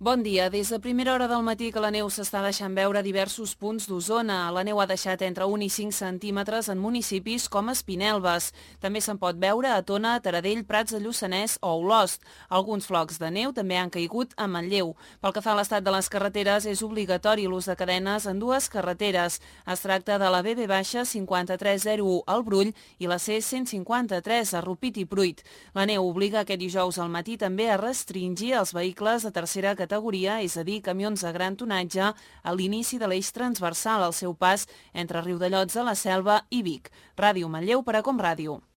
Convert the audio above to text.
Bon dia. Des de primera hora del matí que la neu s'està deixant veure a diversos punts d'Osona. La neu ha deixat entre 1 i 5 centímetres en municipis com Espinelves. També se'n pot veure a Tona, Taradell, Prats de Lluçanès o Olost. Alguns flocs de neu també han caigut a Manlleu. Pel que fa a l'estat de les carreteres, és obligatori l'ús de cadenes en dues carreteres. Es tracta de la BB-5301 al Brull i la C-153 a Rupit i Pruit. La neu obliga aquest dijous al matí també a restringir els vehicles de tercera categoria, és a dir, camions de gran tonatge, a l'inici de l'eix transversal al seu pas entre Riudellots de la Selva i Vic. Ràdio Manlleu per a Com Ràdio.